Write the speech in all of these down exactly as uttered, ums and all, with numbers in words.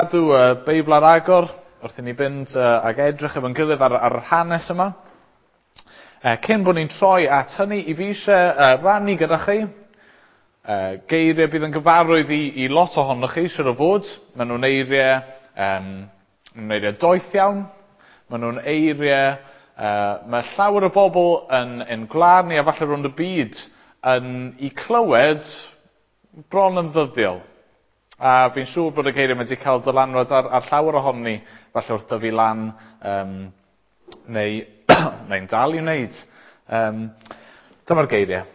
Cadw y Beibl ar agor wrth i ni fynd uh, ag edrych efo'n gilydd ar, ar yr hanes yma. Uh, cyn bod ni'n troi at hynny, i fi eisiau uh, rannu gyda chi uh, geiriau bydd yn gyfarwydd i, i lot ohonoch chi, siŵr o fod. Maen nhw'n eiriau, um, nhw'n eiriau doeth iawn. Maen nhw'n eiriau, uh, mae llawer o bobl yn, yn gwlad ni a falle rownd y byd yn i clywed bron yn ddyddiol. A fi'n siŵr bod y geiriau wedi cael dylanwad ar, ar llawer ohonon ni, falle wrth dyfu lan, um, neu, neu'n dal i wneud. Um, dyma'r geiriau.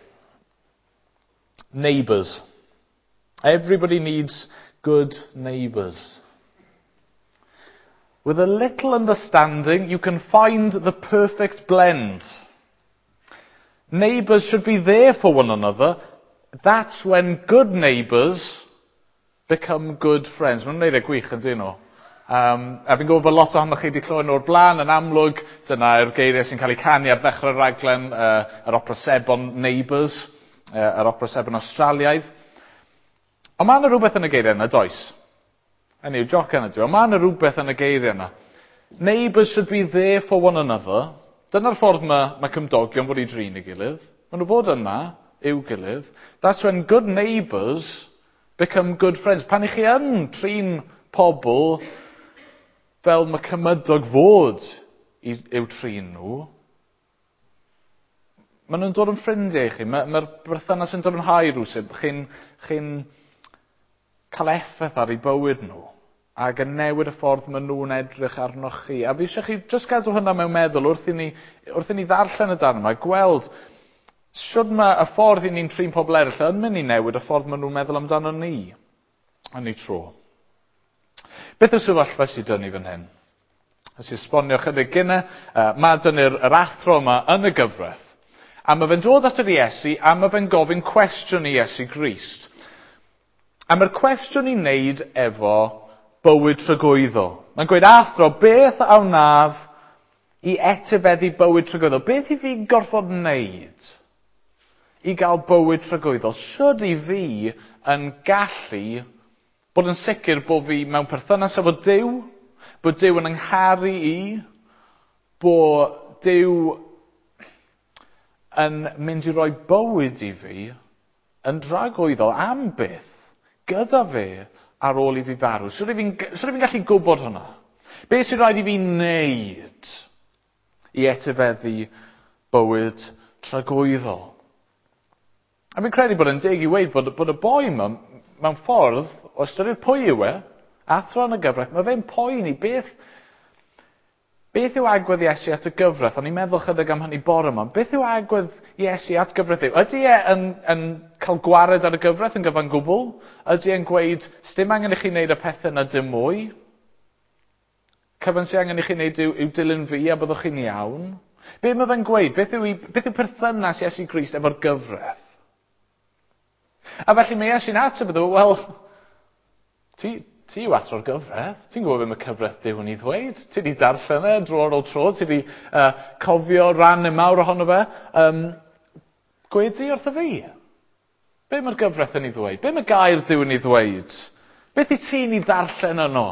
Neighbours. Everybody needs good neighbours. With a little understanding, you can find the perfect blend. Neighbours should be there for one another. That's when good neighbours become good friends. Mae'n wneud e gwych yn dyn nhw. Um, a fi'n gwybod bod lot ohonoch chi wedi clywed nhw o'r blaen yn amlwg. Dyna'r geiriau sy'n cael eu canu ar ddechrau'r raglen, uh, yr opera sebon Neighbours, uh, yr opera sebon Australiaidd. Ond mae yna rhywbeth yn y geiriau yna, does? Hynny yw, joc yna dwi. Ond mae yna rhywbeth yn y geiriau yna. Neighbours should be there for one another. Dyna'r ffordd mae, mae cymdogion fod i drin ei gilydd. Maen nhw fod yna i'w gilydd. That's when good neighbours become good friends. Pan i chi yn trin pobl fel mae cymydog fod i, i'w trin nhw, maen nhw'n dod yn ffrindiau i chi. Mae'r mae berthynas yn dyfnhau rhywsut. Chi'n chi cael effaith ar eu bywyd nhw ac yn newid y ffordd maen nhw'n edrych arnoch chi. A fi eisiau chi jyst gadw hynna mewn meddwl wrth i ni, wrth i ni ddarllen y darn yma, gweld shwd mae y ffordd i ni'n trin pobl eraill yn mynd i newid y ffordd maen nhw'n meddwl amdano ni yn ei tro. Beth yw'r sefyllfa sydd dyn ni fan hyn? Nes i esbonio chydig gynne, uh, mae dyn ni'r yr athro yma yn y gyfraith. A mae fe'n dod at yr Iesu a mae fe'n gofyn cwestiwn i Iesu Grist. A mae'r cwestiwn i wneud efo bywyd tragwyddol. Mae'n gweud, athro, beth a wnaf i etifeddu bywyd tragwyddol? Beth i fi gorfod wneud i gael bywyd tragwyddol? Shwd i fi yn gallu bod yn sicr bod fi mewn perthynas efo Duw, bod Duw yn yngharu i, bod Duw yn mynd i roi bywyd i fi yn dragwyddol am byth gyda fe ar ôl i fi farw. Shwd i fi'n shwd i fi'n gallu gwybod hwnna? Beth sy'n rhaid i fi wneud i etifeddu bywyd tragwyddol? A fi'n credu bod yn deg i weud bod, bod y boi yma, mewn ffordd, o ystyried pwy yw e, athro yn y gyfraith, mae fe'n poeni beth, beth yw agwedd Iesu at y gyfraith? O'n i'n meddwl chydig am hynny bore yma. Beth yw agwedd Iesu at gyfraith yw? Ydy e yn, yn cael gwared ar y gyfraith yn gyfan gwbl? Ydy e'n gweud, sdim angen i chi wneud y pethau yna dim mwy? Cyfan sy'n angen i chi wneud yw, yw dilyn fi a byddwch chi'n iawn? Be mae fe'n gweud? Beth yw, beth yw perthynas Iesu Grist efo'r gyfraith? A felly mae Iesu'n ateb iddo, wel, ti, ti yw athro'r gyfraith. Ti'n gwybod beth mae cyfraith Duw yn ei ddweud. Ti wedi darllen e dro ar ôl tro. Ti wedi uh, cofio ran mawr ohono fe. Um, gweud di wrtho fi. Be mae'r gyfraith yn ei ddweud? Be mae gair Duw yn ei ddweud? Beth i ti'n ei ddarllen yno?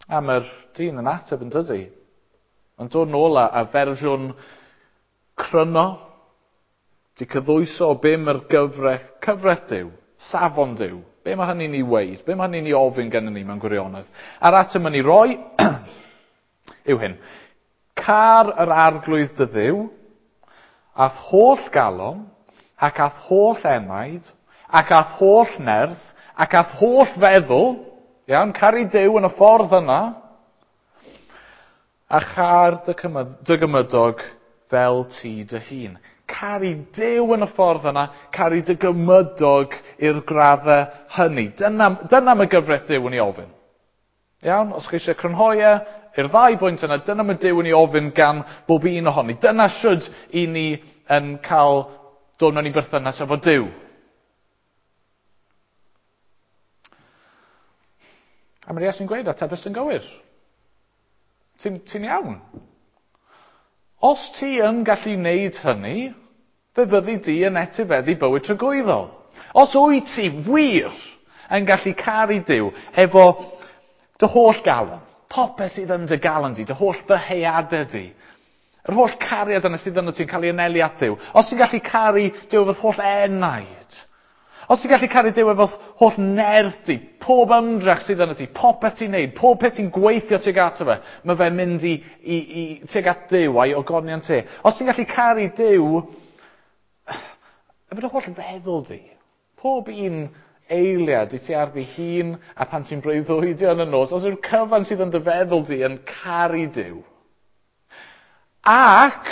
A mae'r dyn yn ateb yn dydi. Mae'n dod nôl a, a fersiwn cryno, di cyddwyso o be mae'r gyfraith, cyfraith Duw, safon Duw. Be mae hynny'n ei weud? Be mae hynny'n ei ofyn gennym ni mewn gwirionedd? A'r ateb yn ei roi yw hyn. Car yr arglwydd dy Dduw, a'th holl galon, ac a'th holl enaid, ac a'th holl nerth, ac a'th holl feddwl, iawn, caru Duw yn y ffordd yna, a char dy, dy gymydog fel ti dy hun. Caru Duw yn y ffordd yna, caru dy gymydog i'r graddau hynny. Dyna, dyna mae gyfraith Duw yn ei ofyn. Iawn? Os chi eisiau crynhoi e, i'r ddau bwynt yna, dyna mae Duw yn ei ofyn gan bob un ohoni. Dyna shwd i ni yn cael dod mewn i berthynas efo Duw. A mae Iesu'n gweud, atebys yn gywir. Ti'n, ti'n iawn. Os ti yn gallu wneud hynny, fe fyddi di yn etifeddu bywyd tragwyddol. Os wyt ti wir yn gallu caru Duw efo dy holl galon, popeth sydd yn dy galon di, dy holl ddyheadau di, yr holl cariad yna sydd yno ti'n cael ei anelu at Dduw. Os ti'n gallu caru Duw efo'th holl enaid, os ti'n gallu caru Duw efo'th holl nerth di, pob ymdrech sydd yno ti, popeth ti'n neud, pob peth ti'n gweithio tuag ato fe, mae fe'n mynd i, i, i tuag at Dduw a'i ogoniant te. Os ti'n gallu caru Duw efo dy holl feddwl di, pob un eiliad i ti ar dy hun a pan ti'n breuddwydio yn y nos, os yw'r cyfan sydd yn dy feddwl di yn caru Duw, ac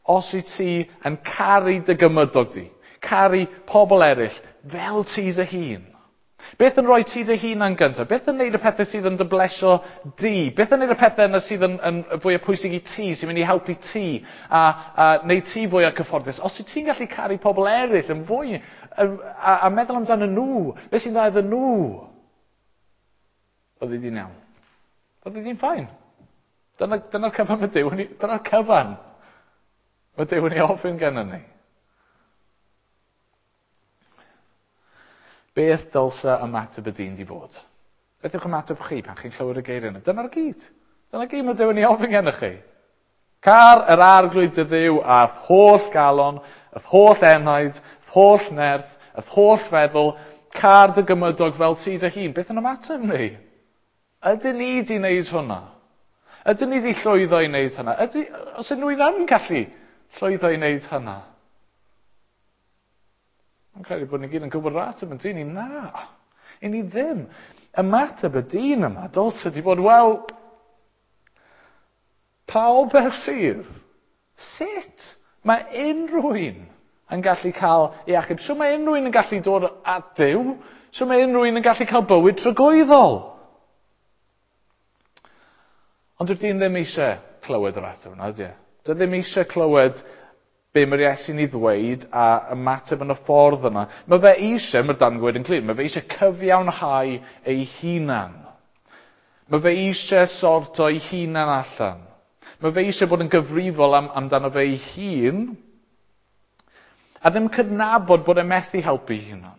os wyt ti yn caru dy gymydog di, caru pobl eraill fel ti dy hun. Beth yn rhoi ti dy hunan gyntaf? Beth yn neud y pethau sydd yn dy blesio di? Beth yn neud y pethau yna sydd yn, yn fwy pwysig i ti, sy'n mynd i helpu ti a, a neud ti fwy o cyfforddus? Os wyt ti'n gallu caru pobl eraill yn fwy a, a, a meddwl amdano nhw, beth sy'n dda iddyn nhw? Byddi di'n iawn. Byddi di'n fine. Dyna, dyna'r cyfan mae Duw, dyna'r cyfan mae Duw yn ei ofyn gennym ni. Beth dylsa ymateb y dyn di bod? Beth yw'ch ymateb chi pan chi'n clywed y geiriau yna? Dyna'r gyd. Dyna'r gyd mae Duw yn ei ofyn gennych chi. Car yr arglwydd dy Dduw a'th holl galon, a'th holl enaid, a'th holl nerth, a'th holl feddwl, car dy gymydog fel ti dy hun. Beth yn ymateb ni? Ydyn ni di wneud hwnna? Ydyn ni di llwyddo i wneud hynna? Ydy, os unrhyw un yn gallu llwyddo i wneud hynna? Yn credu bod ni gyd yn gwybod yr ateb yn dyn ni? Na, i ni ddim. Ymateb y dyn yma dylse di bod, wel, pa obaith sydd? Sut mae unrhyw un yn gallu cael ei achub? Sut mae unrhyw un yn gallu dod at Dduw? Sut mae unrhyw un yn gallu cael bywyd tragwyddol? Ond dyw'r dyn ddim eisiau clywed yr ateb yna, ydy e? Dyw e ddim eisiau clywed be mae'r Iesu'n ei ddweud a ymateb yn y ffordd yna. Mae fe eisiau, mae'r darn gweud yn glir, mae fe eisiau cyfiawnhau ei hunan. Mae fe eisiau sorto ei hunan allan. Mae fe eisiau bod yn gyfrifol am, amdano fe ei hun a ddim cydnabod bod e methu helpu ei hunan.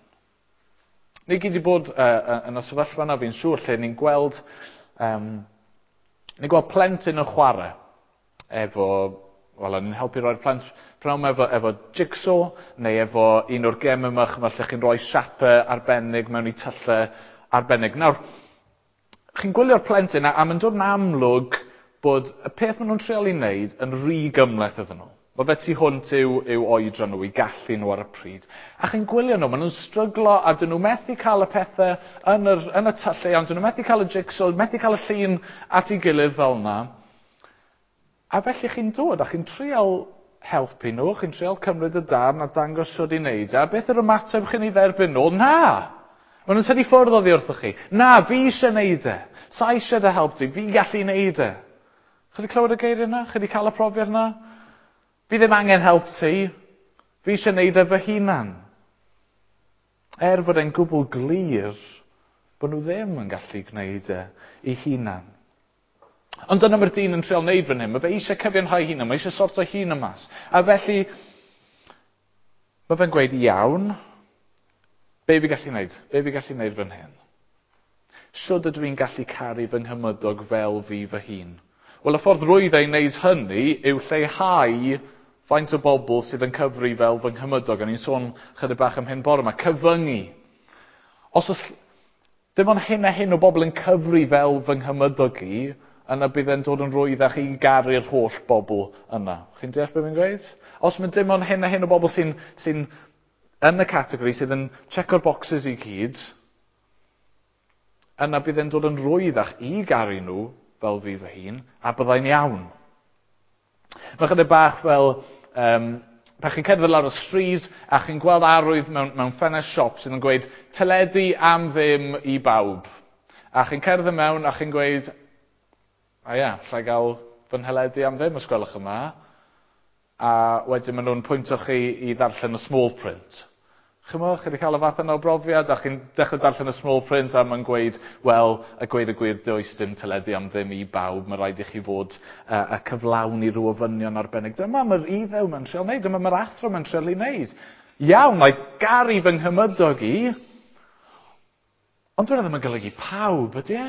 Ni gyd wedi bod uh, yn y sefyllfa yna, fi'n siŵr, lle ni'n gweld, um, ni'n gweld plentyn yn chwarae efo, wel, ni'n helpu roi'r plant pnawn efo, efo jigsaw neu efo un o'r gemau yma, chymod, lle chi'n rhoi siapau arbennig mewn i tyllau arbennig. Nawr, chi'n gwylio'r plentyn a, a mae'n dod yn amlwg bod y peth maen nhw'n treial i wneud yn rhy gymhleth iddyn nhw. Mae fe tu hwnt i'w, i'w oedran nhw, i gallu nhw ar y pryd. A chi'n gwylio nhw, maen nhw'n stryglo a dyn nhw methu cael y pethau yn, yr, yn y tyllau, ond dyn nhw methu cael y jigsaw, methu cael y llun at ei gilydd fel yna. A felly chi'n dod a chi'n trial helpu nhw, chi'n trial cymryd y darn a dangos sut i wneud. A beth yw'r ymateb chi'n ei dderbyn nhw? Na! Maen nhw'n tynnu ffwrdd oddi wrthoch chi. Na, fi eisiau wneud e. Sa eisiau dy help di, fi'n gallu wneud e. Chi wedi clywed y geiriau yna? Chi wedi cael y profiad yna? Fi ddim angen help ti. Fi eisiau wneud e fy hunan. Er fod e'n gwbl glir bod nhw ddim yn gallu gwneud e eu hunan. Ond dyna mae'r dyn yn trial wneud fan hyn. Mae fe eisiau cyfiawnhau hunan, mae eisiau sorto hun mas. A felly, mae fe'n gweud, iawn, be fi gallu wneud? Be fi gallu wneud fan hyn? Sut ydw i'n gallu caru fy nghymydog fel fi fy hun? Wel, y ffordd rwydd ei wneud hynny yw lleihau faint o bobl sydd yn cyfri fel fy nghymydog. A ni'n sôn chydig bach am hyn bore yma. Cyfyngu. Os oes dim ond hyn a hyn o bobl yn cyfri fel fy nghymydog i, yna bydd e'n dod yn rwyddach i garu'r holl bobl yna. Chi'n deall beth fi'n gweud? Os mae dim ond hyn a hyn o bobl sy'n, sy'n yn y categori, sydd yn checko'r boxes i gyd, yna bydd e'n dod yn rwyddach i garu nhw fel fi fy hun, a byddai'n iawn. Mae chydig bach fel, um, pan chi'n cerdded lawr y stryd a chi'n gweld arwydd mewn, mewn ffenest siop sydd yn gweud teledu am ddim i bawb. A chi'n cerdded mewn a chi'n gweud, a ia, allai gael fy nheledu am ddim os gwelwch yma. A wedyn maen nhw'n pwyntio chi i ddarllen y small print. Chymod, chi wedi cael y fath yna o brofiad, a chi'n dechrau darllen y small print a mae'n gweud, wel, a gweud y gwir, does dim teledu am ddim i bawb, mae rhaid i chi fod uh, a cyflawni rhyw ofynion arbennig. Dyma mae'r iddew mae'n trial wneud, dyma mae'r athro mae'n trial i wneud. Iawn, mae garu fy nghymydog i, ond dyna ddim yn golygu pawb, ydy e?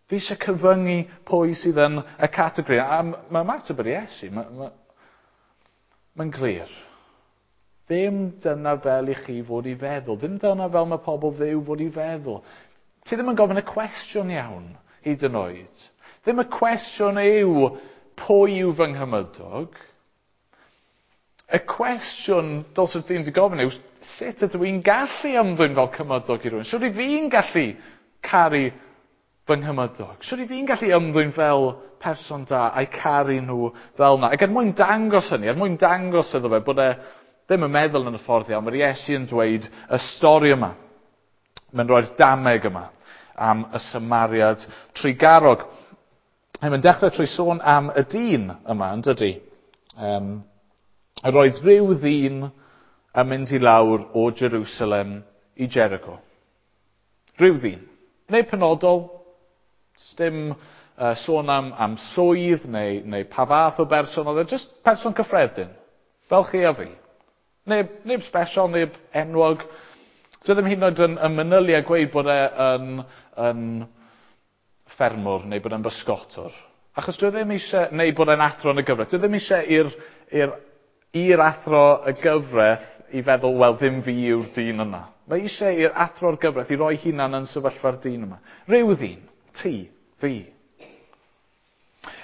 Fi eisiau cyfyngu pwy sydd yn y categori. A mae ymateb yr Iesu, mae'n ma, ma glir. Ddim dyna fel i chi fod i feddwl. Ddim dyna fel mae pobl Dduw fod i feddwl. Ti ddim yn gofyn y cwestiwn iawn, hyd yn oed. Ddim y cwestiwn yw pwy yw fy nghymydog. Y cwestiwn dylse'r dyn wedi gofyn yw sut ydw i'n gallu ymddwyn fel cymydog i rywun? Sut fi'n gallu caru fy nghymydog? Sut fi'n gallu ymddwyn fel person da a'i caru nhw fel yna? Ac er mwyn dangos hynny, er mwyn dangos iddo fe bod e ddim yn meddwl yn y ffordd iawn, mae'r Iesu yn dweud y stori yma. Mae'n rhoi'r dameg yma am y Samariad trugarog. Mae'n dechrau trwy sôn am y dyn yma, yn dydy? Um, roedd rhyw ddyn yn mynd i lawr o Jerusalem i Jericho. Rhyw ddyn. Neu penodol, dim uh, sôn am, am swydd neu, neu pa fath o berson oedd e, just person cyffredin, fel chi a fi. Neb, neb special, neb enwog. Dwi ddim hyd yn oed yn, yn manylu a gweud bod e yn, yn ffermwr neu bod e'n bysgotwr. Achos dwi ddim eisiau, neu bod e'n athro yn y gyfraith. Dwi ddim eisiau i'r, i'r, i'r athro y gyfraith i feddwl, wel, ddim fi yw'r dyn yna. Mae eisiau i'r athro'r gyfraith i roi hunan yn sefyllfa'r dyn yma. Rhyw ddyn, ti, fi.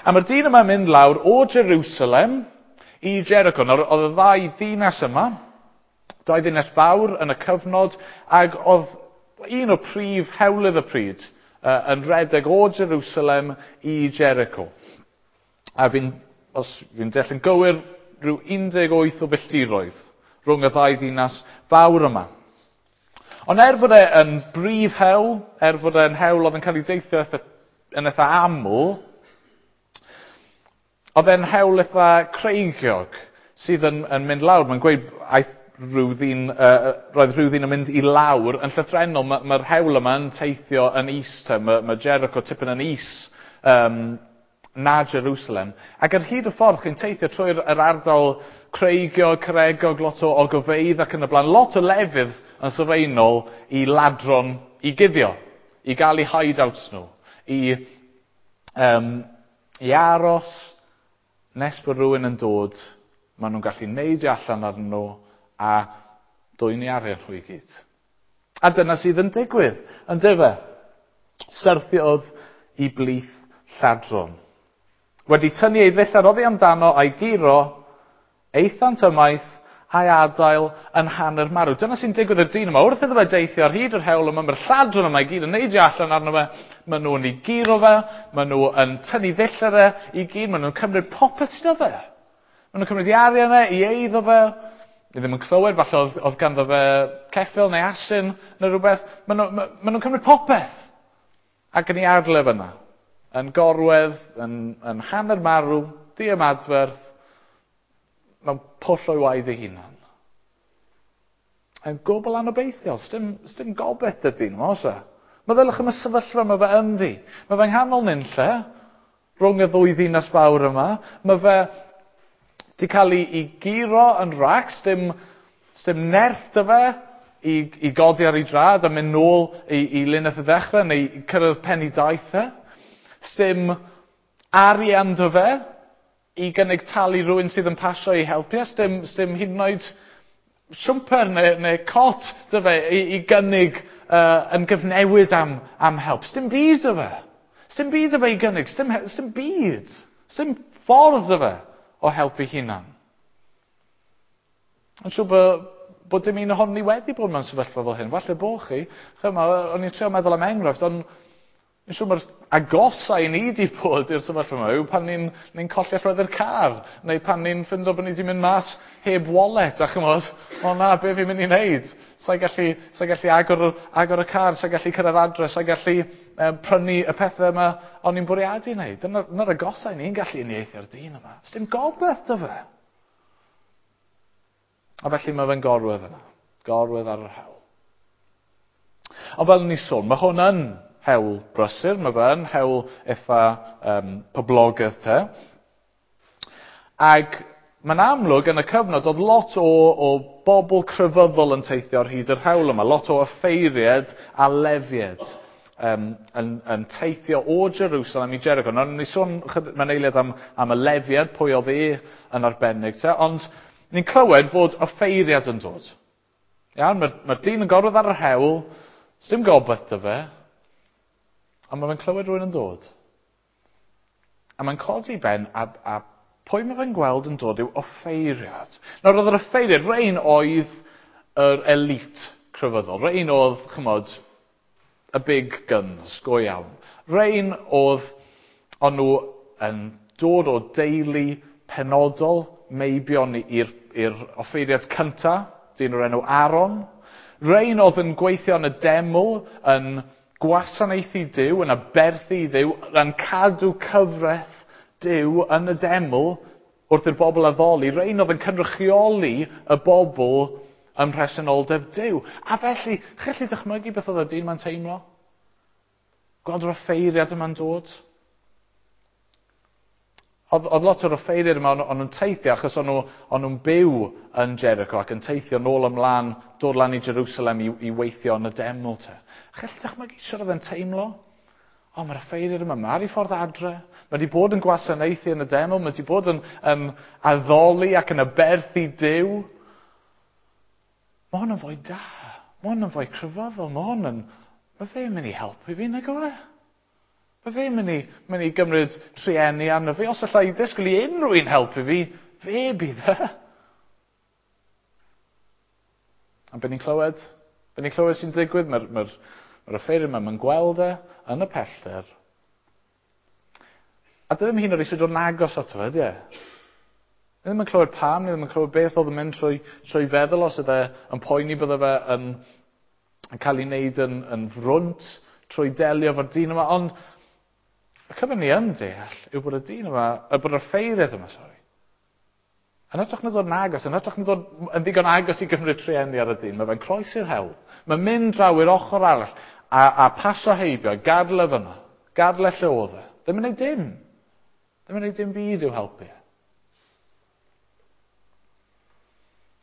A mae'r dyn yma'n mynd lawr o Jerusalem i Jericho. Nawr, oedd y ddau ddinas yma, dau ddinas fawr yn y cyfnod, ac oedd un o prif hewlydd y pryd uh, yn rhedeg o Jerusalem i Jericho. A fi'n, os fi'n deall yn gywir, rhyw un deg wyth o filltiroedd rhwng y ddau ddinas fawr yma. Ond er fod e yn brif hewl, er fod e'n hewl oedd yn cael ei deithio eitha, yn eitha aml, oedd e'n hewl eitha creigiog sydd yn, yn mynd lawr. Mae'n gweud aeth rhyw ddyn, uh, roedd rhyw ddyn yn mynd i lawr yn llythrennol. Mae'r ma hewl yma yn teithio yn is, te. Mae, mae Jericho tipyn yn is um, na Jerusalem. Ac ar hyd y ffordd chi'n teithio trwy'r yr ardal creigiog, caregog, lot o ogofeydd ac yn y blaen, lot o lefydd yn sylfaenol i ladron i guddio, i gael eu hideouts nhw, i, um, i aros nes bod rhywun yn dod, maen nhw'n gallu neidio allan arnyn nhw a dwyn i arian nhw i gyd. A dyna sydd yn digwydd, yn dyfe? Syrthiodd i blith lladron. Wedi tynnu ei ddillad oddi amdano a'i guro, aethant ymaith a'i adael yn hanner marw. Dyna sy'n digwydd i'r dyn yma. Wrth iddo fe deithio ar hyd yr hewl yma, mae'r lladron yma i gyd yn neidio allan arno fe, maen nhw'n ei guro fe, maen nhw yn tynnu ddillad e i gyd, maen nhw'n cymryd popeth sydd o fe. Maen nhw'n cymryd ei arian e, i eiddo fe. Ni ddim yn clywed, falle oedd, oedd ganddo fe ceffyl neu asyn neu rhywbeth. Maen nhw, ma, ma nhw'n cymryd popeth. Ac yn ei adael e fyna. Yn gorwedd, yn, yn hanner marw, diymadferth, mewn pwll o'i waed ei hunan. Yn gwbl anobeithiol, sdim, sdim gobaith dy'r dyn yma, oes e? Meddyliwch am y sefyllfa mae fe ynddi. Mae fe'n nghanol nunlle, rhwng y ddwy ddinas fawr yma. Mae fe di cael ei, ei guro yn racs, sdim, sdim nerth dy fe i, i godi ar ei drad a mynd nôl i, i linell y ddechrau neu cyrraedd pen ei daith e. Sdim arian dy fe i gynnig talu rhywun sydd yn pasio i helpu. Sdim, sdim hyd yn oed siwmper neu, neu cot dy fe i, i gynnig uh, yn gyfnewid am, am help. Sdim byd dy fe. Sdim byd dy fe i gynnig. Sdim, sdim byd. Sdim ffordd dy fe o helpu hunan. Yn siŵr bod, bod dim un ohonon ni wedi bod mewn sefyllfa fel hyn. Falle bo chi. Chyma, o'n i'n trio meddwl am enghraifft, ond yn siŵr mae'r agosa i ni wedi bod i'r sefyllfa yma yw pan ni'n ni colli allweddi'r car, neu pan ni'n ffindo bod ni wedi mynd mas heb wallet, a chymod, o na, be fi'n mynd i wneud? Sa'i gallu, sa'i gallu agor, agor y car, sa'i gallu cyrraedd adre, sa'i gallu um, prynu y pethau yma o'n i'n bwriadu wneud. Dyna'r dyna agosa i ni'n gallu uniaethu ar dyn yma. Sdim gobaith dy fe. A felly mae fe'n gorwedd yna. Gorwedd ar yr hewl. Ond fel ni sôn, mae hwn yn hewl brysur, mae fe yn hewl eitha um, poblogaidd te. Ac Mae'n amlwg yn y cyfnod oedd lot o, o bobl crefyddol yn teithio ar hyd yr hewl yma, lot o offeiriad a lefiad um, yn, yn teithio o Jerusalem i Jericho. Nawr, ni sôn mewn eiliad am, am y lefiad, pwy oedd e yn arbennig, te, ond ni'n clywed fod offeiriad yn dod. Iawn, mae'r mae dyn yn gorwedd ar yr hewl, sdim gobaith 'da fe, ond mae fe'n clywed rhywun yn dod. A mae'n codi ben a, a pwy mae fe'n gweld yn dod yw offeiriad. Nawr, oedd yr offeiriad, rhain oedd yr elite crefyddol. Rhain oedd, chymod, y big guns, go iawn. Rhain oedd, o'n nhw yn dod o deulu penodol, meibion i'r, i'r offeiriad cynta, dyn o'r enw Aaron. Rhain oedd yn gweithio yn y deml, yn gwasanaethu Duw, yn aberthu i Dduw, yn cadw cyfraith Duw yn y deml wrth i'r bobl addoli. Rhain oedd yn cynrychioli y bobl ym mhresenoldeb Duw. A felly, chi'n gallu dychmygu beth oedd y dyn ma'n teimlo? Gweld yr offeiriad yma'n dod? Oedd, oedd lot o'r offeiriad yma, o'n nhw'n teithio achos o'n nhw, o'n nhw'n byw yn Jericho ac yn teithio nôl ymlaen, dod lan i Jerusalem i, i weithio yn y deml te. Chi'n gallu dychmygu sut oedd e'n teimlo? O, mae'r offeiriad yma, mae ar ei ffordd adre. Mae wedi bod yn gwasanaethu yn y deml, mae wedi bod yn, yn addoli ac yn aberthu Duw. Mae hwn yn fwy da. Mae hwn yn fwy crefyddol. Mae hwn yn... Mae fe'n mynd i helpu fi, nag yw e? Mae fe'n mynd i, mynd i gymryd trueni arno fi. Os allai ddisgwyl i unrhyw un helpu fi, fe bydd e. A be ni'n clywed? Be ni'n clywed sy'n digwydd? Mae'r mae mae offeiriad yma, mae'n gweld e yn y pellter. A dydy ddim hyd yn oed eisiau dod yn agos ato fe, ydy e? Ni ddim yn clywed pam, ni ddim yn clywed beth oedd yn mynd trwy, trwy feddwl os oedd e yn poeni bydde fe yn, yn cael ei wneud yn, yn frwnt trwy delio efo'r dyn yma, ond y cyfan ni yn deall yw bod y dyn yma, y bod yr offeiriad yma, sori, yn hytrach na dod yn agos, yn hytrach na dod yn ddigon agos i gymryd trueni ar y dyn, mae fe'n croesi'r hewl, mae'n mynd draw i'r ochr arall a, a pasio heibio, gadael e fyna, gadael e lle oedd e. Ddim yn gwneud dim. Ddim yn gwneud dim byd i'w helpu.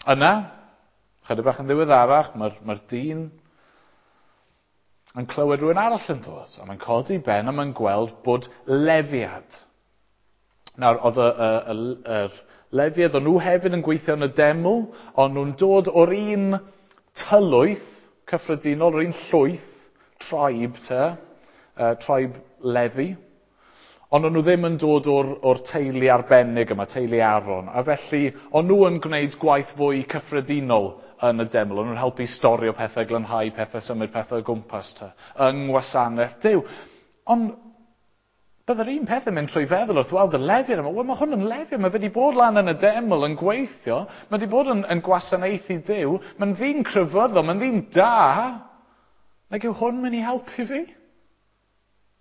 Yna, chydig bach yn ddiweddarach, mae'r mae dyn yn clywed rhywun arall yn dod, a mae'n codi ben a mae'n gweld bod lefiad. Nawr, oedd y, y, y, yr lefiad, o'n nhw hefyd yn gweithio yn y deml, ond nhw'n dod o'r un tylwyth cyffredinol, o'r un llwyth, tribe te, uh, tribe Lefi. Ond o'n nhw ddim yn dod o'r, o'r teulu arbennig yma, teulu Aaron. A felly, o'n nhw yn gwneud gwaith fwy cyffredinol yn y deml. O'n nhw'n helpu storio pethau, glanhau pethau, symud pethau o gwmpas te, yng ngwasanaeth Duw. Ond byddai'r un peth yn mynd trwy feddwl wrth weld y lefiad yma. Wel, mae hwn yn lefiad, mae wedi bod lan yn y deml yn gweithio, mae wedi bod yn, yn gwasanaethu Duw, mae'n ddyn crefyddol, mae'n ddyn da. Nag yw hwn mynd i helpu fi?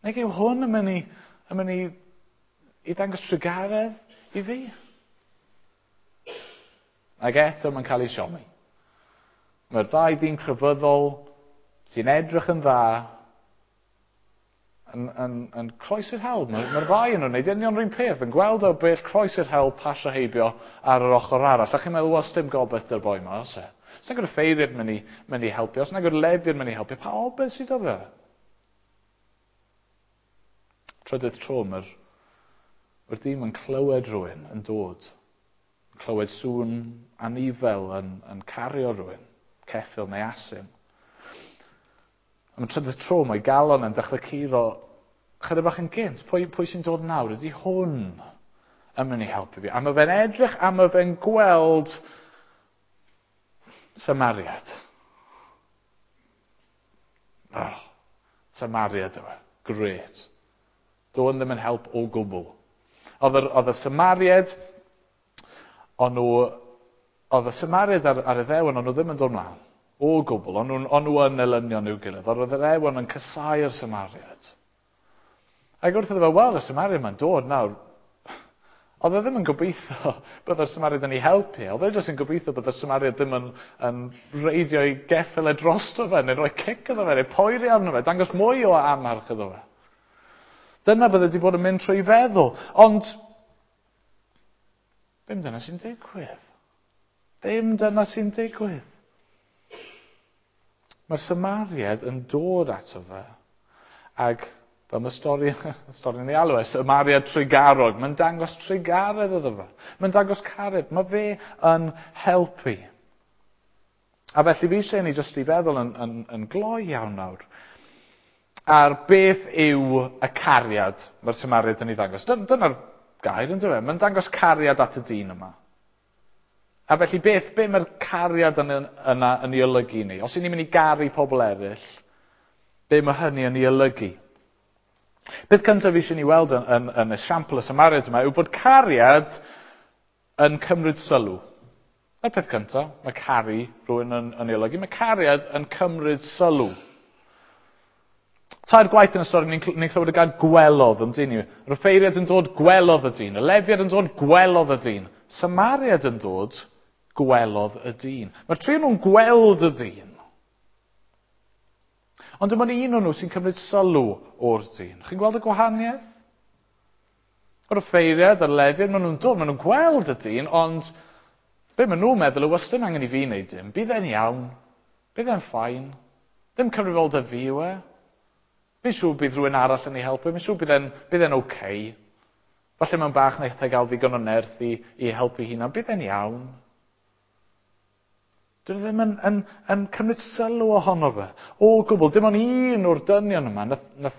Nag yw hwn yn mynd i, yn mynd i, i ddangos trugaredd i fi? Ac eto mae'n cael ei siomi. Mae'r ddau ddyn crefyddol sy'n edrych yn dda yn, yn, yn croesi'r hewl. Mae'r mae ddau yn nhw'n gwneud union yr un peth, yn gweld o bell croesi'r hewl, pasio heibio ar yr ochr arall. A chi'n meddwl, wel, sdim gobaith dy'r boi yma, oes e? Os nag yw'r offeiriad mynd i, mynd i helpu, os nag yw'r lefiad mynd i helpu, pa obaith sydd o fe? Trydydd tro, mae'r mae'r dyn yn clywed rhywun yn dod. Yn clywed sŵn anifel yn, yn cario rhywun, ceffyl neu asyn. Am y trydydd tro, mae galon yn dechrau curo chydig bach yn gynt. Pwy, pwy sy'n dod nawr? Ydy hwn yn mynd i helpu fi? A mae fe'n edrych a mae fe'n gweld Samariad. Oh, Samariad yw e. Grêt. Do'n ddim yn help o gwbl. Oedd yr, oedd y Samariad, o'n nhw, oedd y Samariad ar, ar y Iddewon, o'n nhw ddim yn dod mlaen. O gwbl, o'n nhw'n o'n nhw yn elynion i'w gilydd. Oedd yr Iddewon yn casáu'r Samariad. Ac wrth iddo fe weld y Samariad ma'n dod nawr, oedd e ddim yn gobeithio byddai'r Samariad yn ei helpu. Oedd e jyst yn gobeithio byddai'r Samariad ddim yn, yn reidio ei geffyl e drosto fe, neu rhoi cic iddo fe, neu poeri arno fe, dangos mwy o amarch iddo fe. Dyna bydde wedi bod yn mynd trwy feddwl. Ond Ddim dyna sy'n digwydd. Ddim dyna sy'n digwydd. Mae'r Samariad yn dod ato fe, ag fel mae stori, stori yn ei alw e, Samariad trugarog, mae'n dangos trugaredd iddo fe. Mae'n dangos cariad, mae fe yn helpu. A felly fi eisiau ni jyst i feddwl yn, yn, yn gloi iawn nawr ar beth yw y cariad mae'r Samariad yn ei ddangos. Dyna'r gair yn dweud. Mae'n dangos cariad at y dyn yma. A felly beth, beth mae'r cariad yna, yna yn ei olygu ni? Os ydyn ni'n mynd i garu pobl eraill, be mae hynny yn ei olygu? Beth cyntaf eisiau ni weld yn, yn, yn esiampl y Samariad yma yw bod cariad yn cymryd sylw. Na'r peth cyntaf, mae caru rhywun yn, yn ei olygu. Mae cariad yn cymryd sylw. Tair gwaith yn y stori ni'n ni clywed y gair gwelodd yn dyn ni. Yr offeiriad yn dod, gwelodd y dyn. Y lefiad yn dod, gwelodd y dyn. Samariad yn dod, gwelodd y dyn. Mae'r tri nhw'n gweld y dyn. Ond dim ond un o'n nhw sy'n cymryd sylw o'r dyn. Chi'n gweld y gwahaniaeth? Yr offeiriad a'r lefiad, maen nhw'n dod, maen nhw'n gweld y dyn, ond be maen nhw'n meddwl yw, ystyn angen i fi wneud dim. Bydd e'n iawn. Bydd e'n fine. Ddim cyfrifoldeb fi yw e. Fi'n siŵr bydd rhywun arall yn ei helpu. Fi'n siŵr bydd e'n, bydd e'n okay. Falle mewn bach wnaeth e gael ddigon o nerth i, i helpu hunan. Bydd e'n iawn. Dwi ddim yn, yn, yn cymryd sylw ohono fe. O gwbl, dim ond un o'r dynion yma nath, nath,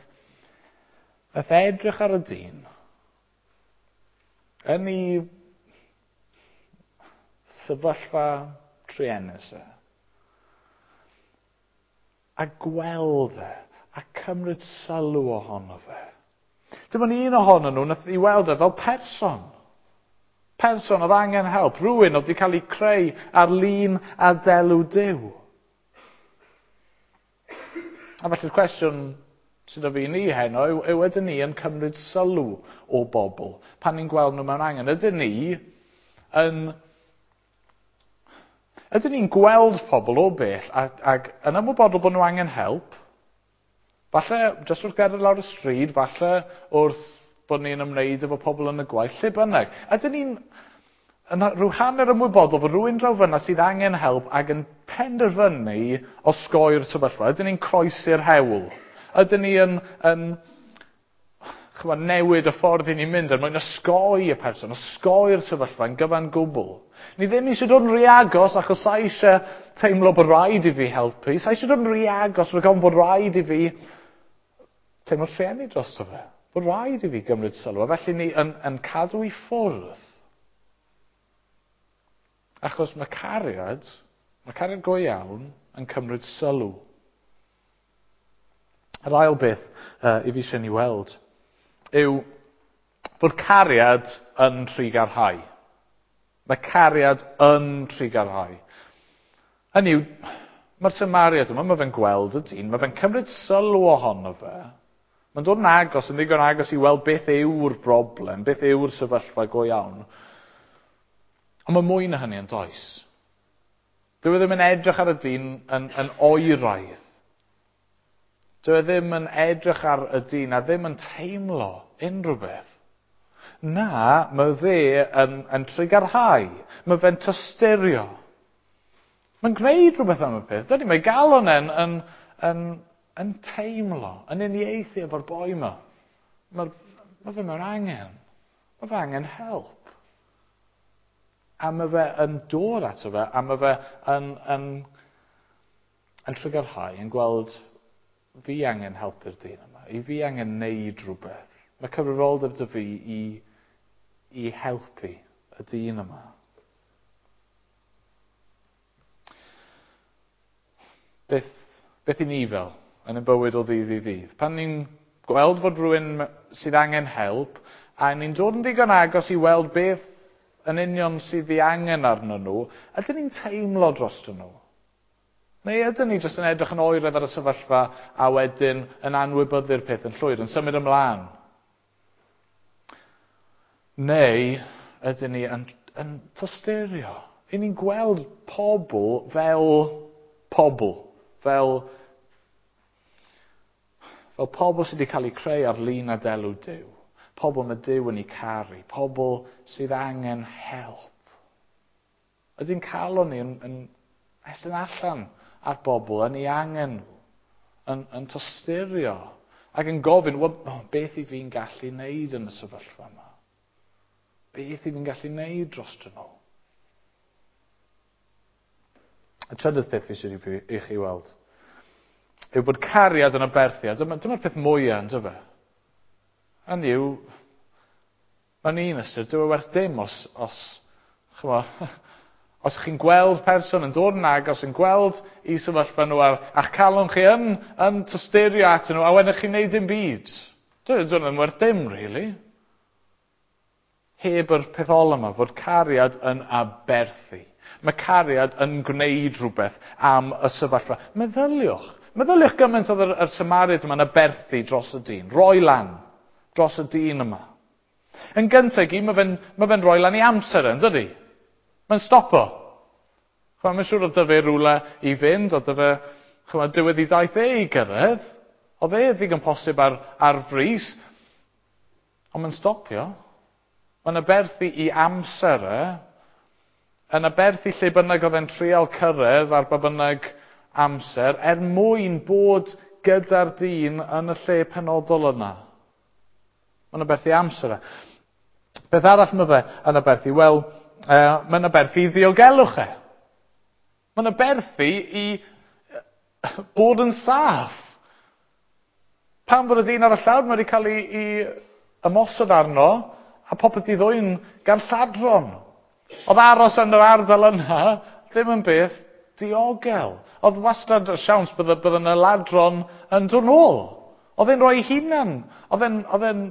nath edrych ar y dyn yn ei sefyllfa truenus e. A gweld e, a cymryd sylw ohono fe. Dim ond un ohonyn nhw nath i weld e fel person. Person oedd angen help, rhywun oedd wedi cael ei creu ar lun a delw Duw. A felly'r cwestiwn sydd o fi ni heno yw, yw ydyn ni yn cymryd sylw o bobl pan ni'n gweld nhw mewn angen? Ydyn ni yn... Ydyn ni'n gweld pobl o bell ac, ac yn ymwybodol bod nhw angen help? Falle jyst wrth gerdded lawr y stryd, falle wrth bod ni'n ymwneud efo pobl yn y gwaith, lle bynnag. Ydyn ni'n yn rhyw hanner ymwybodol fod rhywun draw fyna sydd angen help ac yn penderfynu osgoi'r sefyllfa? Ydyn ni'n croesi'r hewl? Ydyn ni yn, yn chymod, newid y ffordd i ni'n mynd er mwyn osgoi y person, osgoi'r sefyllfa yn gyfan gwbl? Ni ddim eisiau dod yn rhy agos achos sa eisiau teimlo bod rhaid i fi helpu. Sa eisiau dod yn rhy agos rhag ofn bod rhaid i fi teimlo trueni drosto fe. Bod rhaid i fi gymryd sylw. A felly ni yn, yn cadw i ffwrdd. Achos mae cariad, mae cariad go iawn yn cymryd sylw. Yr ail beth uh, i fi eisiau ni weld yw fod cariad yn trugarhau. Mae cariad yn trugarhau. Hynny yw, mae'r Samariad yma, mae fe'n gweld y dyn, mae fe'n cymryd sylw ohono fe. Mae'n dod yn agos, yn ddigon agos i weld beth yw'r broblem, beth yw'r sefyllfa go iawn. Ond mae mwy na hynny yn does. Dyw e ddim yn edrych ar y dyn yn, yn oeraidd. Dyw e ddim yn edrych ar y dyn a ddim yn teimlo unrhyw beth. Na, mae fe yn, yn trugarhau. Mae fe'n tosturio. Mae'n gwneud rhywbeth am y peth. Dydy, mae galon e'n yn, yn, yn teimlo, yn uniaethu efo'r boi yma. Mae, mae fe mewn angen. Mae fe angen help. A mae fe yn dod ato fe, a mae fe yn, yn, yn trugarhau, yn gweld fi angen helpu'r dyn yma, i fi angen neud rhywbeth. Mae cyfrifoldeb dy fi i, i helpu y dyn yma. Beth, beth i ni fel yn y bywyd o ddydd i ddydd? Pan ni'n gweld fod rhywun sydd angen help, a ni'n dod yn ddigon agos i weld beth yn union sydd ei angen arnyn nhw, ydyn ni'n teimlo drostyn nhw? Neu ydyn ni jyst yn edrych yn oeraidd ar y sefyllfa a wedyn yn anwybyddu'r peth yn llwyr, yn symud ymlaen? Neu ydyn ni yn, yn tosturio? I ni'n gweld pobl fel pobl, fel, fel pobl sydd wedi cael eu creu ar lun a delw Duw. Pobl mae Duw yn eu caru, pobl sydd angen help. Ydy'n calon ni yn, yn estyn allan ar bobl, yn ei angen nhw, yn, yn tosturio ac yn gofyn, well, oh, beth i fi'n gallu wneud yn y sefyllfa yma? Beth i fi'n gallu wneud dros nhw? Y trydydd peth fi eisiau i chi weld yw bod cariad yn aberthu. Dyma, dyma'r peth mwyaf, yn dyfe? Hynny yw, mae'n un ystyr, dyw e werth dim os, os, chymod, os chi'n gweld person yn dod yn agos, yn gweld i sefyllfa nhw ar, a'ch calon chi yn, yn tosturio at nhw, a wedyn chi'n neud dim byd. Dyw e ddim werth dim, really. Heb yr peth ol yma, fod cariad yn aberthu. Mae cariad yn gwneud rhywbeth am y sefyllfa. Meddyliwch. Meddyliwch gymaint oedd yr, yr Samariad yma'n aberthu dros y dyn. Roi lan dros y dyn yma. Yn gyntaf i gyd, mae fe'n ma fe roi lan i amser yn dydy? Mae'n stopo. Chwa, mae'n siŵr oedd dyfe rhywle i fynd, oedd dyfe, chwa, diwedd i daith e i gyrraedd. Oedd e ddigon posib ar, ar frys. Ond mae'n stopio. Mae'n aberthu i amser e, yn aberthu lle bynnag oedd e'n trial cyrraedd ar ba bynnag amser, er mwyn bod gyda'r dyn yn y lle penodol yna. Mae'n aberthu amser e. Beth arall mae fe yn aberthu? Wel, uh, mae'n aberthu i ddiogelwch e. Mae'n aberthu i bod yn saff. Pan fod y dyn ar y llawr, mae wedi cael ei, ei ymosod arno, a popeth i ddwyn gan lladron. Oedd aros yn yr ardal yna ddim yn beth diogel. Oedd wastad y siawns bydde, bydde yna ladron yn dod nôl. Oedd e'n rhoi ei hunan. Oedd e'n, oedd e'n,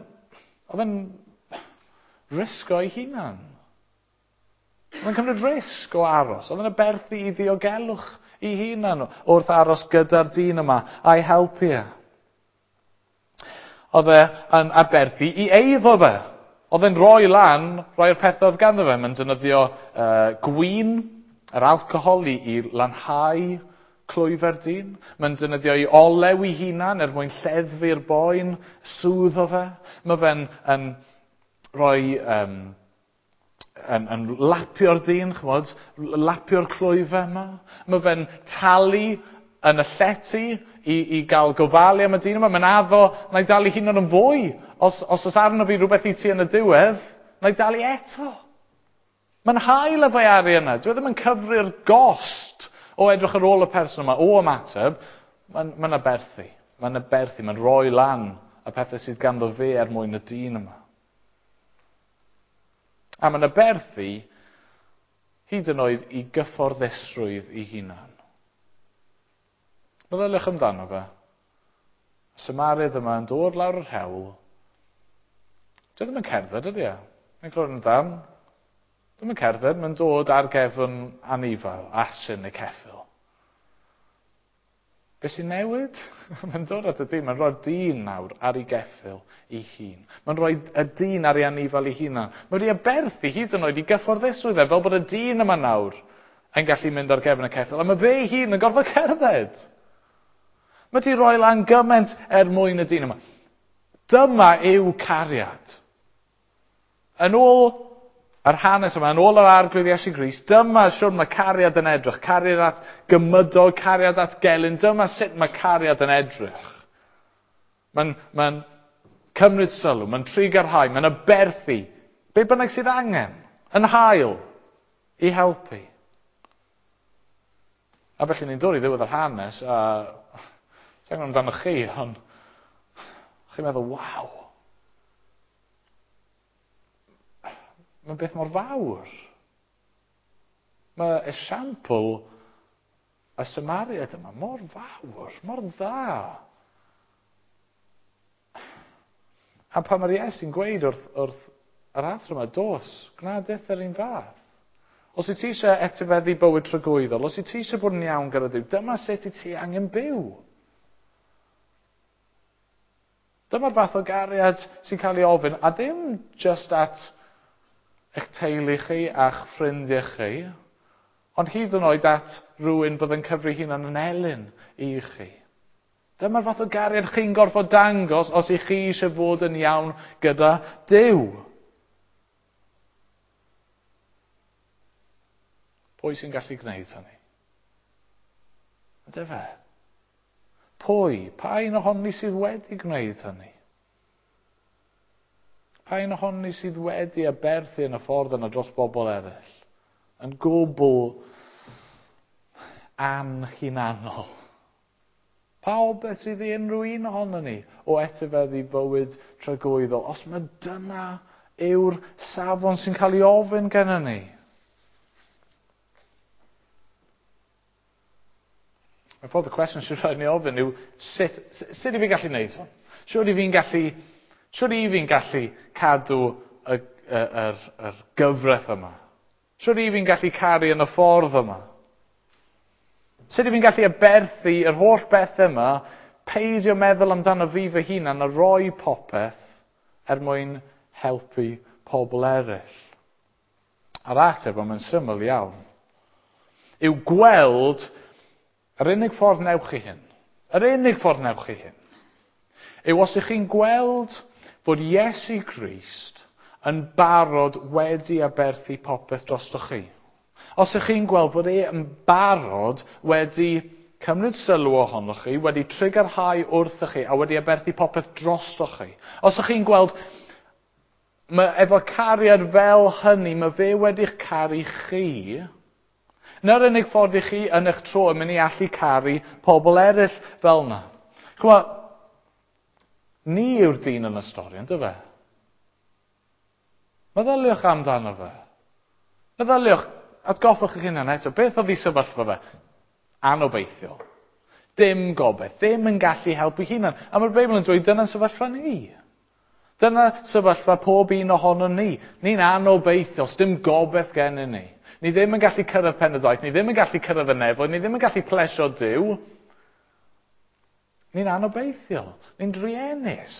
oedd e'n risgo ei hunan. Oedd e'n cymryd risg o aros. Oedd e'n aberthu i ddiogelwch ei hunan wrth aros gyda'r dyn yma a'i helpu e. Oedd e'n aberthu i eiddo fe. Oedd e'n rhoi lan, rhoi'r pethau oedd ganddo fe. Mae'n defnyddio uh, gwin, yr alcohol i, i lanhau clwyfau'r dyn. Mae'n defnyddio ei olew ei hunan er mwyn lleddfu'r boen, sŵdd o fe. Mae fe'n yn rhoi, um, yn, yn lapio'r dyn, chymod, lapio'r clwyfau yma. Mae fe'n talu yn y llety i, i gael gofalu am y dyn yma. Mae'n addo, na i dalu hunan yn fwy. Os, os oes arno fi rhywbeth i ti yn y diwedd, na i dalu eto. Mae'n hael efo'i arian yna. Dwi ddim yn cyfri'r gost o edrych ar ôl y person yma, o ymateb. Mae'n ma aberthu. Mae'n aberthu. Mae'n rhoi lan y pethau sydd ganddo fe er mwyn y dyn yma. A mae'n aberthu hyd yn oed i gyfforddusrwydd ei hunan. Meddyliwch amdano fe. Y Samariad yma yn dod lawr yr hewl. Dwi ddim yn cerdded, ydy e? Mae'n clywed yn ddan. Ddim yn cerdded, mae'n dod ar gefn anifail, asyn neu ceffyl. Be sy'n newid? Mae'n dod at y dyn, mae'n rhoi'r dyn nawr ar ei geffyl ei hun. Mae'n rhoi y dyn ar ei anifail ei hunan. Mae wedi aberthu hyd yn oed i gyfforddusrwydd e, fel bod y dyn yma nawr yn gallu mynd ar gefn y ceffyl. A mae fe ei hun yn gorfod cerdded. Mae wedi rhoi lan gymaint er mwyn y dyn yma. Dyma yw cariad. Yn ôl yr hanes yma, yn ôl yr Arglwydd Iesu Grist, dyma siwr mae cariad yn edrych. Cariad at gymydog, cariad at gelyn. Dyma sut mae cariad yn edrych. Mae'n mae cymryd sylw, mae'n trigarhau, mae'n aberthu. Be bynnag sydd angen, yn hael, i helpu. A felly ni'n dod i ddiwedd yr hanes, a sa'n gwybod amdano chi, ond chi'n meddwl, waw. Mae'n beth mor fawr. Mae esiampl y Samariad yma mor fawr, mor dda. A pan mae'r Iesu'n gweud wrth, wrth yr athro yma, dos, gwna dith yr un fath. Os wyt ti eisiau etifeddu bywyd tragwyddol, os wyt ti eisiau bod yn iawn gyda Duw, dyma sut i ti angen byw. Dyma'r fath o gariad sy'n cael ei ofyn, a ddim just at eich teulu chi a'ch ffrindiau chi, ond hyd yn oed at rhywun bydd yn cyfri hunan yn elyn i chi. Dyma'r fath o gariad chi'n gorfod dangos os ych chi eisiau fod yn iawn gyda Duw. Pwy sy'n gallu gwneud hynny? Ydy fe? Pwy? Pa un ohonon ni sydd wedi gwneud hynny? Pa un ohonon ni sydd wedi aberthu yn y ffordd yna dros bobl eraill? Yn gwbl anhunanol. Pa obaith sydd i unrhyw un ohonon ni o etifeddu bywyd tragwyddol, os mae dyna yw'r safon sy'n cael ei ofyn gennym ni? Y ffordd y cwestiwn sy'n rhaid ni ofyn yw sut, sut i fi gallu gwneud hwn? Sut i fi'n gallu, sut i fi'n gallu cadw y, y, yr, yr gyfraith yma? Sut i fi'n gallu caru yn y ffordd yma? Sut i fi'n gallu aberthu yr holl beth yma, peidio meddwl amdano fi fy hunan a roi popeth er mwyn helpu pobl eraill? A'r ateb, ond mae'n syml iawn, yw gweld yr unig ffordd newch chi hyn, yr unig ffordd newch chi hyn, yw os ych chi'n gweld fod Iesu Grist yn barod wedi aberthu popeth drostoch chi. Os ych chi'n gweld bod e yn barod wedi cymryd sylw ohonoch chi, wedi trugarhau wrthoch chi a wedi aberthu popeth drostoch chi. Os ych chi'n gweld mae efo cariad fel hynny, mae fe wedi'ch caru chi, na'r unig ffordd i chi yn eich tro yn mynd i allu caru pobl eraill fel yna. Ch'mod, ni yw'r dyn yn y stori, yndyfe? Meddyliwch amdano fe. Meddyliwch, atgoffwch eich hunan eto, beth oedd ei sefyllfa fe? Anobeithiol. Dim gobaith, ddim yn gallu helpu hunan. A mae'r Beibl yn dweud dyna'n sefyllfa ni. Dyna sefyllfa pob un ohonon ni. Ni'n anobeithiol, dim gobaith gennym ni. Ni ddim yn gallu cyrraedd pen y daith, ni ddim yn gallu cyrraedd y nefoedd, ni ddim yn gallu plesio Duw. Ni'n anobeithiol, ni'n druenus.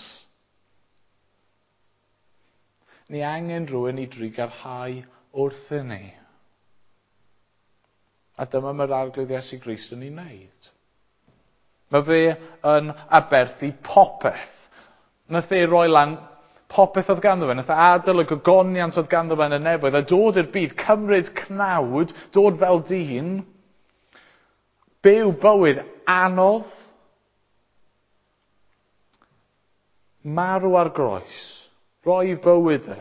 Ni angen rhywun i drugarhau wrthyn ni. A dyma mae'r Arglwydd Iesu Grist yn ei wneud. Mae fe yn aberthu popeth. Nath e roi lan popeth oedd ganddo fe. Nath e adael y gogoniant oedd ganddo fe yn y nefoedd a dod i'r byd, cymryd cnawd, dod fel dyn, byw bywyd anodd, marw ar groes, roi bywyd e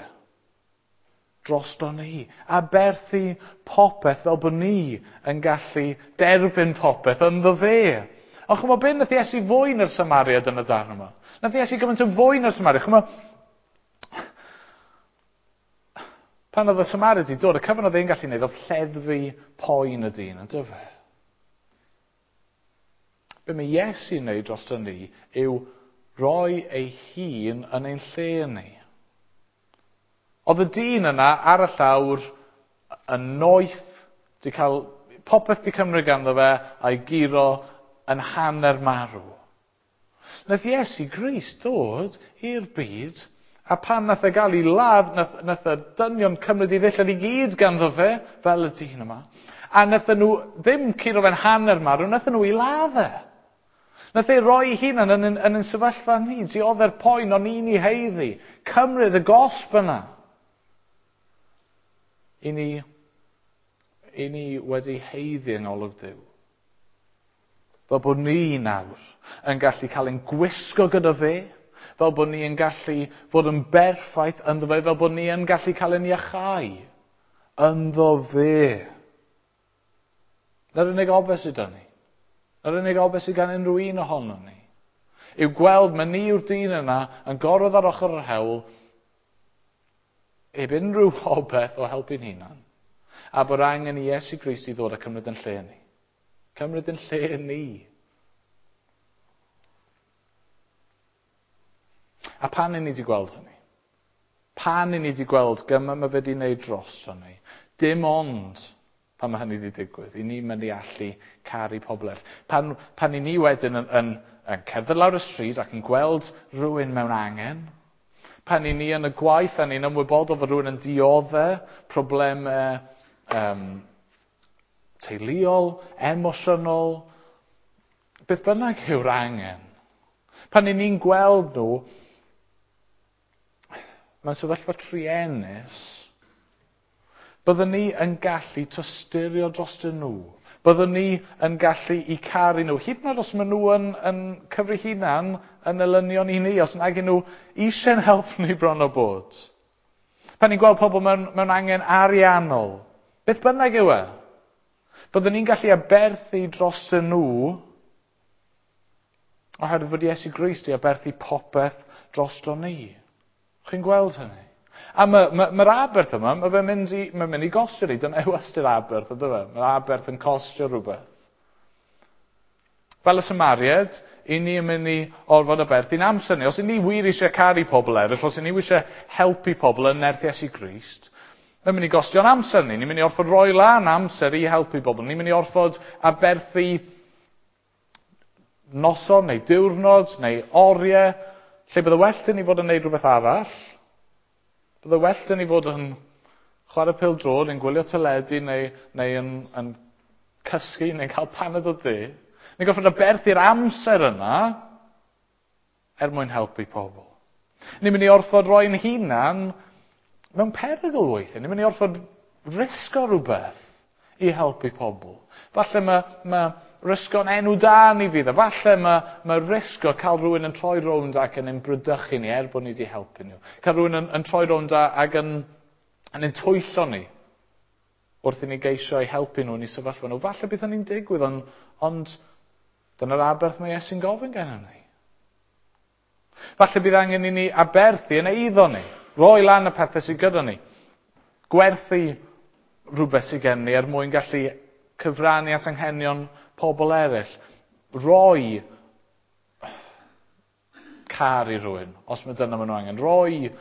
drosto ni, aberthu popeth fel bod ni yn gallu derbyn popeth ynddo fe. Ond ch'mod be nath Iesu fwy na'r Samariad yn y darn yma? Nath Iesu gymaint yn fwy na'r Samariad. Ch'mod, pan oedd y Samariad i dod, y cyfan oedd e'n gallu gwneud oedd lleddfu poen y dyn, yndyfe? Be mae Iesu'n wneud drosto ni yw roi ei hun yn ein lle ni. Oedd y dyn yna ar y llawr yn noeth, di cael popeth di cymryd ganddo fe a'i guro yn hanner marw. Nath Iesu Grist dod i'r byd, a pan nath e gael ei ladd, nath, nath y dynion cymryd ei ddillad i gyd ganddo fe, fel y dyn yma, a nath nhw ddim curo fe'n hanner marw, nath nhw ei ladd e. Nath e roi ei hunan yn, yn, yn, yn sefyllfa ni, diodde'r poen o'n i'n ei haeddu, cymryd y gosb yna. I ni, i ni wedi haeddu yng ngolwg Duw. Fel bod ni nawr yn gallu cael ein gwisgo gyda fe, fel bod ni yn gallu fod yn berffaith ynddo fe, fel bod ni yn gallu cael ein iachau ynddo fe. Na'r unig obaith sydd 'da ni. Na'r unig obaith sydd gan unrhyw un ohonon ni. Yw gweld mae ni yw'r dyn yna yn gorwedd ar ochr yr hewl, heb unrhyw obaith o helpu'n hunan, a bod angen i Iesu Grist i ddod a cymryd yn lle ni. Cymryd yn lle ni. A pan i ni wedi gweld hynny? Pan i ni wedi gweld gymaint mae fe wedi wneud dros hynny? Dim ond pan mae hynny wedi digwydd, i ni mynd i allu caru pobl eraill. Pan, pan i ni wedyn yn, yn, yn cerdded lawr y stryd ac yn gweld rhywun mewn angen, pan i ni yn y gwaith a ni'n ymwybodol fod rhywun yn dioddef problemau um, teuluol, emosiynol, beth bynnag yw'r angen, Pan 'yn ni'n gweld nhw mewn sefyllfa truenus, byddwn ni yn gallu tosturio drostyn nhw. Byddwn ni yn gallu eu caru nhw. Hyd yn oed os maen nhw yn, yn cyfri hunan yn elynion i ni, os nag nhw eisiau'n help ni bron o bod. Pan ni'n gweld pobl mewn, mewn angen ariannol, beth bynnag yw e, byddwn ni'n gallu aberthu drostyn nhw oherwydd fod Iesu Grist 'di aberthu popeth drosto ni. Chi'n gweld hynny? A mae'r ma, ma, ma aberth yma, mae fe'n mynd i, mae'n mynd i gostio ni. Dyna yw ystyr aberth, ydy fe? Mae'r aberth yn costio rhywbeth. Fel y Samariad, i ni yn mynd i orfod aberthu'n amser ni. Os i ni wir eisiau caru pobl eraill, os i ni eisiau helpu pobl yn nerth Iesu Grist, mae'n mynd i gostio'n amser ni. Ni'n mynd i orfod rhoi lan amser i helpu pobl. Ni'n mynd i orfod aberthu noson neu diwrnod neu oriau, lle bydde well 'da ni fod yn neud rhywbeth arall. Bydde well 'da ni fod yn chwarae pêl-droed, yn gwylio teledu neu, neu yn, yn cysgu neu'n cael paned o de. Ni'n gorfod aberthu'r amser yna er mwyn helpu pobl. Ni'n mynd i orfod roi'n hunan mewn perygl weithiau. Ni'n mynd i orfod risgo rhywbeth i helpu pobl. Falle mae, mae risgo'n enw da ni fydd e. Falle mae, mae risgo cael rhywun yn troi rownd ac yn ein bradychu ni er bod ni wedi helpu nhw. Cael rhywun yn, yn troi rownd ac yn, yn ein twyllo ni wrth i ni geisio i helpu nhw yn eu sefyllfa nhw. Falle bydd hynny'n digwydd, ond, ond dyna'r aberth mae Iesu'n gofyn gennym ni. Falle bydd angen i ni aberthu yn eiddo ni. Roi lan y pethau sydd gyda ni. Gwerthu rhywbeth sydd gen ni er mwyn gallu cyfrannu at anghenion pobl eraill. Roi car i rywun, os mae dyna maen nhw angen. Roi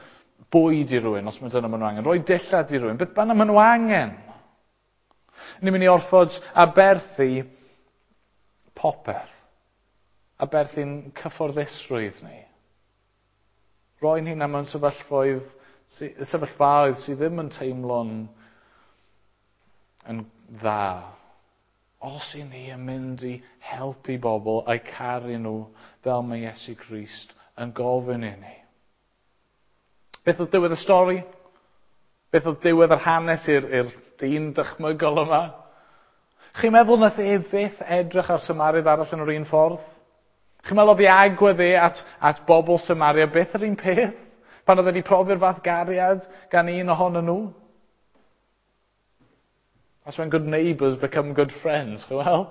bwyd i rywun, os mae dyna maen nhw angen. Roi dillad i rywun, beth bynnag maen nhw angen. Ni'n mynd i orfod aberthu popeth. Aberthu'n cyfforddusrwydd ni. Roi'n hunan mewn sefyllfaoedd, sefyllfaoedd sydd ddim yn teimlo'n yn dda. Os i ni yn mynd i helpu bobl a'i caru nhw fel mae Iesu Grist yn gofyn i ni. Beth oedd diwedd y stori? Beth oedd diwedd yr hanes i'r dyn dychmygol yma? Chi'n meddwl nath e fyth edrych ar Samariad arall yn yr un ffordd? Chi'n meddwl oedd ei agwedd e at, at bobl Samaria byth yr un peth? Pan oedd wedi profi'r fath gariad gan un ohonyn nhw? That's when good neighbours become good friends. Wel,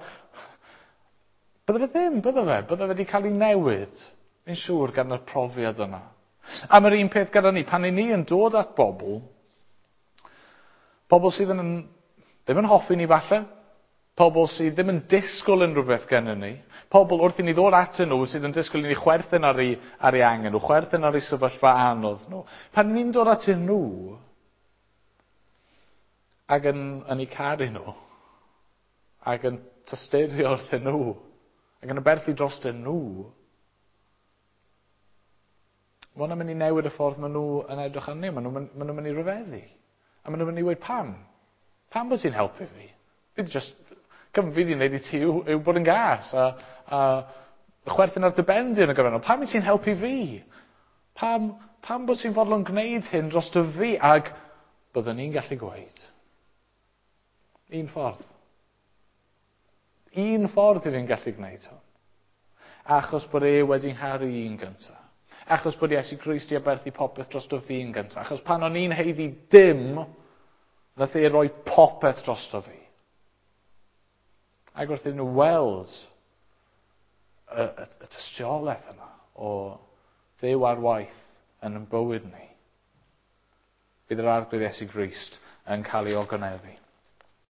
bydde fe ddim, bydde fe. Bydde fe wedi cael ei newid, fi'n siŵr, gan y profiad yna. A mae'r un peth gyda ni, pan i ni yn dod at bobl, pobl sydd yn, ddim yn hoffi ni falle, pobl sydd ddim yn disgwyl unrhyw beth gennym ni, pobl wrth i ni ddod atyn nhw sydd yn disgwyl i ni chwerthin ar ei, ar ei angen nhw, chwerthin ar ei sefyllfa anodd nhw. Pan ni'n dod atyn nhw, ac yn, yn eu caru nhw, ac yn tosturio wrthyn nhw, ac yn aberthu drostyn nhw, mae hwnna'n mynd i newid y ffordd maen nhw yn edrych arni, maen nhw'n maen nhw mynd i ryfeddu. A maen nhw'n mynd i weud pam? Pam bod ti'n helpu fi? Fi di just, cyfan fi di wneud i ti yw, yw bod yn gas a, a chwerthin ar dy ben di yn y gyfannol. Pam i ti'n helpu fi? Pam, pam bod ti'n fodlon gwneud hyn dros dy fi? Ag byddwn ni'n gallu gweud. Un ffordd. Un ffordd i fi'n gallu gwneud hwn. Achos bod e wedi ngharu i'n gyntaf. Achos bod Iesu Grist 'di aberthu popeth drosto fi'n gyntaf. Achos pan o'n i'n haeddu dim, nath e roi popeth drosto fi. Ac wrth iddyn nhw weld y, y, y tystiolaeth yna o Dduw ar waith yn ein bywyd ni, bydd yr Arglwydd Iesu Grist yn cael ei ogoneddu.